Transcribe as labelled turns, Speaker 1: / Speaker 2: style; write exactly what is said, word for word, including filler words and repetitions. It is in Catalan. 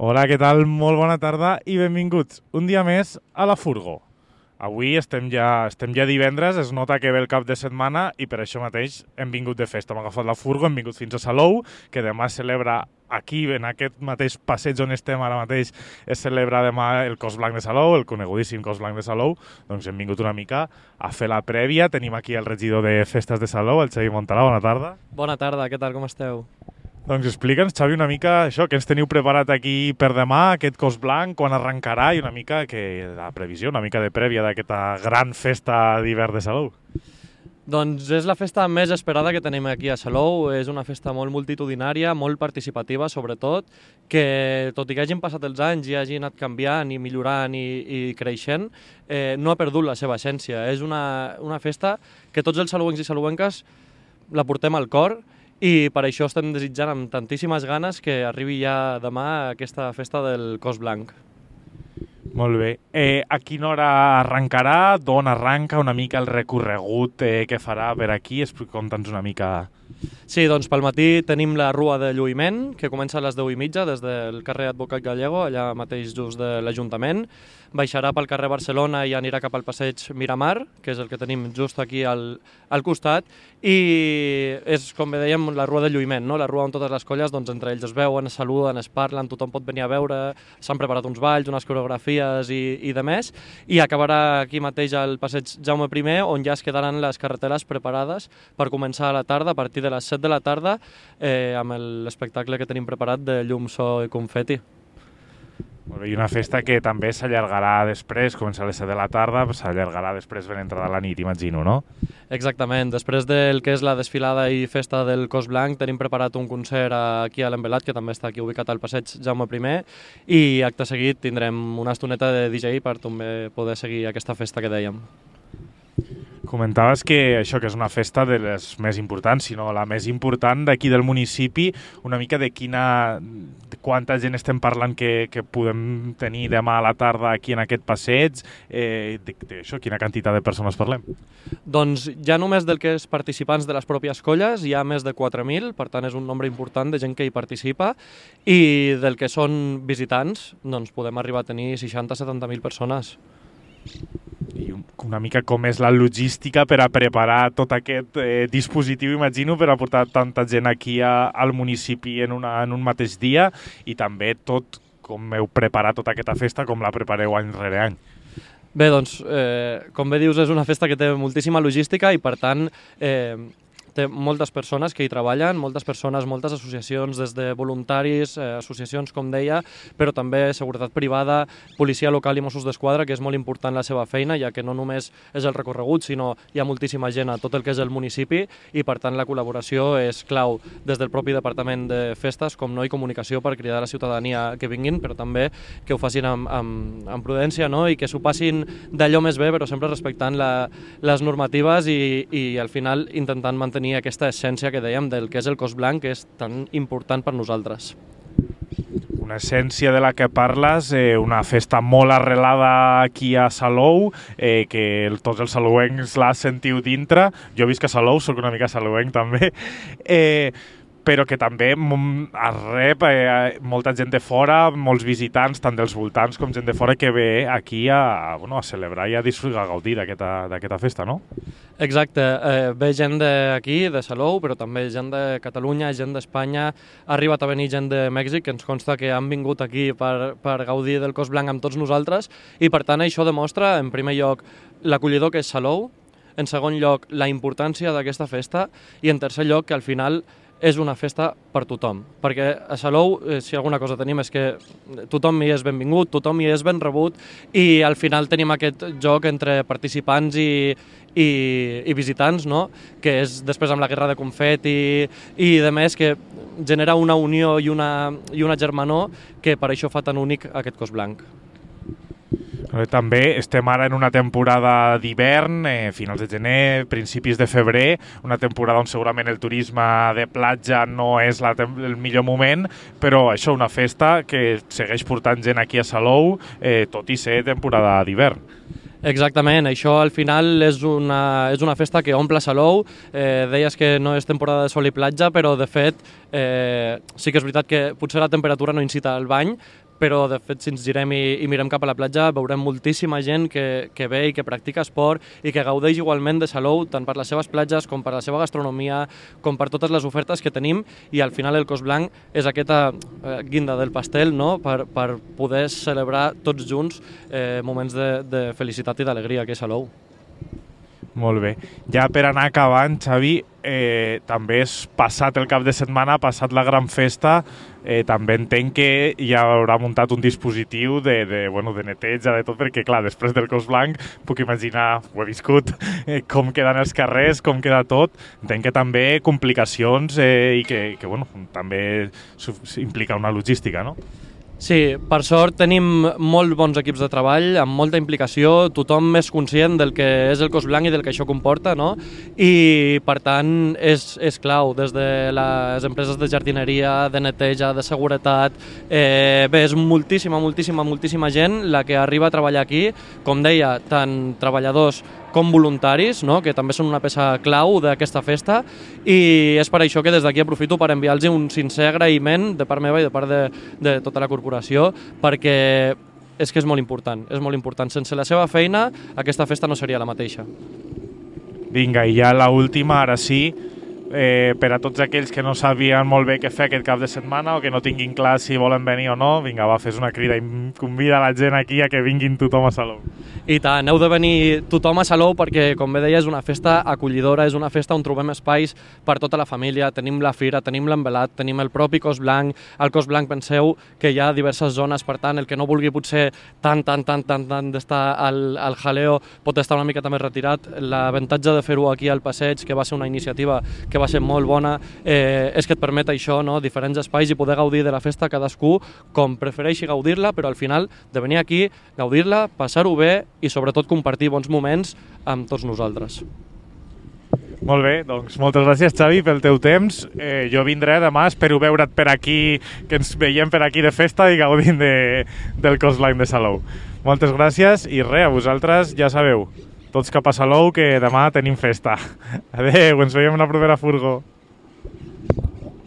Speaker 1: Hola, què tal? Molt bona tarda i benvinguts un dia més a la Furgo. Avui estem ja, estem ja divendres, es nota que ve el cap de setmana i per això mateix hem vingut de festa. Hem agafat la Furgo, hem vingut fins a Salou, que demà es celebra aquí, en aquest mateix passeig on estem ara mateix, es celebra demà el Cos Blanc de Salou, el conegudíssim Cos Blanc de Salou. Doncs hem vingut una mica a fer la prèvia. Tenim aquí el regidor de Festes de Salou, el Xavi Montalà. Bona tarda.
Speaker 2: Bona tarda, què tal, com esteu?
Speaker 1: Doncs explica'ns, Xavi, una mica això, què ens teniu preparat aquí per demà, aquest Cos Blanc, quan arrencarà i una mica que la previsió, una mica de prèvia d'aquesta gran festa d'hivern de Salou.
Speaker 2: Doncs és la festa més esperada que tenim aquí a Salou, és una festa molt multitudinària, molt participativa sobretot, que tot i que hagin passat els anys i hagi anat canviant i millorant i, i creixent, eh, no ha perdut la seva essència. És una, una festa que tots els salouencs i salouenques la portem al cor, i per això estem desitjant amb tantíssimes ganes que arribi ja demà aquesta festa del Cos Blanc.
Speaker 1: Molt bé. Eh, a quina hora arrencarà? D'on arranca una mica el recorregut eh, que farà per aquí? Conta'ns una mica.
Speaker 2: Sí, doncs pel matí tenim la Rua de Lluïment, que comença a les deu i mitja des del carrer Advocat Gallego, allà mateix just de l'Ajuntament. Baixarà pel carrer Barcelona i anirà cap al passeig Miramar, que és el que tenim just aquí al, al costat, i és, com bé dèiem, la Rua de Lluïment, no? La rua on totes les colles, doncs, entre ells es veuen, es saluden, es parlen, tothom pot venir a veure, s'han preparat uns balls, unes coreografies i, i de més, i acabarà aquí mateix al passeig Jaume primer, on ja es quedaran les carreteres preparades per començar a la tarda, a partir de les set de la tarda, eh, amb l'espectacle que tenim preparat de llum, so i confeti.
Speaker 1: I una festa que també s'allargarà després, comença a les set de la tarda, s'allargarà després ben entrada la nit, imagino, no?
Speaker 2: Exactament. Després del que és la desfilada i festa del Cos Blanc, tenim preparat un concert aquí a l'Envelat, que també està aquí ubicat al passeig Jaume primer, i acte seguit tindrem una estoneta de D J per també poder seguir aquesta festa que dèiem.
Speaker 1: Comentaves que això que és una festa de les més importants, sinó la més important d'aquí del municipi, una mica de quina, de quanta gent estem parlant que, que podem tenir demà a la tarda aquí en aquest passeig, eh, de, de això, quina quantitat de persones parlem?
Speaker 2: Doncs ja només del que és participants de les pròpies colles hi ha més de quatre mil, per tant és un nombre important de gent que hi participa, i del que són visitants doncs podem arribar a tenir seixanta a setanta mil persones.
Speaker 1: I una mica com és la logística per a preparar tot aquest eh, dispositiu, imagino, per a portar tanta gent aquí a, al municipi en, una, en un mateix dia, i també tot com heu preparat tota aquesta festa, com la prepareu any rere any.
Speaker 2: Bé, doncs, eh, com bé dius, és una festa que té moltíssima logística i, per tant, eh, té moltes persones que hi treballen, moltes persones, moltes associacions, des de voluntaris, eh, associacions, com deia, però també seguretat privada, policia local i Mossos d'Esquadra, que és molt important la seva feina, ja que no només és el recorregut, sinó hi ha moltíssima gent a tot el que és el municipi, i per tant la col·laboració és clau des del propi Departament de Festes, com no, i comunicació per cridar a la ciutadania que vinguin, però també que ho facin amb, amb, amb prudència, no? I que s'ho passin d'allò més bé, però sempre respectant la, les normatives i, i al final intentant mantenir aquesta essència que dèiem del que és el Cos Blanc, que és tan important per nosaltres.
Speaker 1: Una essència de la que parles, eh, una festa molt arrelada aquí a Salou, eh, que el, tots els salouencs la sentiu dintre. Jo visc a Salou, soc una mica salouenc també, eh, però que també rep eh, molta gent de fora, molts visitants, tant dels voltants com gent de fora, que ve aquí a, bueno, a celebrar i a disfrutar, a gaudir d'aquesta festa, no?
Speaker 2: Exacte, eh, ve gent d'aquí, de Salou, però també gent de Catalunya, gent d'Espanya, ha arribat a venir gent de Mèxic, que ens consta que han vingut aquí per, per gaudir del Cos Blanc amb tots nosaltres, i per tant això demostra, en primer lloc, l'acollidor que és Salou, en segon lloc, la importància d'aquesta festa, i en tercer lloc, que al final és una festa per tothom, perquè a Salou, eh, si alguna cosa tenim, és que tothom hi és benvingut, tothom hi és ben rebut, i al final tenim aquest joc entre participants i, i, i visitants, no? Que és després amb la guerra de confeti i, i de més, que genera una unió i una, i una germanor que per això fa tan únic aquest Cos Blanc.
Speaker 1: També estem ara en una temporada d'hivern, eh, finals de gener, principis de febrer, una temporada on segurament el turisme de platja no és la, el millor moment, però això, una festa que segueix portant gent aquí a Salou, eh, tot i ser temporada d'hivern.
Speaker 2: Exactament, això al final és una, és una festa que omple Salou. Eh, deies que no és temporada de sol i platja, però de fet eh, sí que és veritat que potser la temperatura no incita al bany, però de fet si ens girem i, i mirem cap a la platja veurem moltíssima gent que, que ve i que practica esport i que gaudeix igualment de Salou, tant per les seves platges com per la seva gastronomia, com per totes les ofertes que tenim, i al final el Cos Blanc és aquesta eh, guinda del pastel, no?, per, per poder celebrar tots junts eh, moments de, de felicitat i d'alegria aquí a Salou.
Speaker 1: Molt bé. Ja per anar acabant, Xavi, eh, també és passat el cap de setmana, passat la gran festa, eh, també entenc que ja haurà muntat un dispositiu de, de, bueno, de neteja, de tot, perquè clar, després del Cos Blanc puc imaginar, ho he viscut, eh, com queden els carrers, com queda tot. Entenc que també complicacions eh, i que, que bueno, també implica una logística, no?
Speaker 2: Sí, per sort tenim molt bons equips de treball, amb molta implicació, tothom més conscient del que és el Cos Blanc i del que això comporta, no? I per tant és, és clau, des de les empreses de jardineria, de neteja, de seguretat, eh, bé, és moltíssima, moltíssima, moltíssima gent la que arriba a treballar aquí, com deia, tant treballadors com voluntaris, no?, que també són una peça clau d'aquesta festa, i és per això que des d'aquí aprofito per enviar-los un sincer agraïment de part meva i de part de, de tota la corporació, perquè és que és molt important, és molt important. Sense la seva feina aquesta festa no seria la mateixa.
Speaker 1: Vinga, i ja l'última, ara sí, eh, per a tots aquells que no sabien molt bé què fer aquest cap de setmana o que no tinguin clar si volen venir o no, vinga, va, fes una crida i convida la gent aquí a que vinguin tothom a Salou.
Speaker 2: I tant, heu de venir tothom a Salou perquè, com bé deia, és una festa acollidora, és una festa on trobem espais per tota la família, tenim la fira, tenim l'envelat, tenim el propi Cos Blanc, al Cos Blanc penseu que hi ha diverses zones, per tant, el que no vulgui potser tant, tant, tant, tant, tant d'estar al, al jaleo pot estar una mica també retirat. L'avantatge de fer-ho aquí al passeig, que va ser una iniciativa que va ser molt bona, eh, és que et permet això, no?, diferents espais i poder gaudir de la festa cadascú com prefereixi gaudir-la, però al final de venir aquí, gaudir-la, passar-ho bé i sobretot compartir bons moments amb tots nosaltres.
Speaker 1: Molt bé, doncs moltes gràcies, Xavi, pel teu temps. Eh, jo vindré demà, espero veure't per aquí, que ens veiem per aquí de festa i gaudint de, del Cos Blanc de Salou. Moltes gràcies i res, a vosaltres ja sabeu, tots cap a Salou, que demà tenim festa. Adéu, ens veiem en la propera furgo.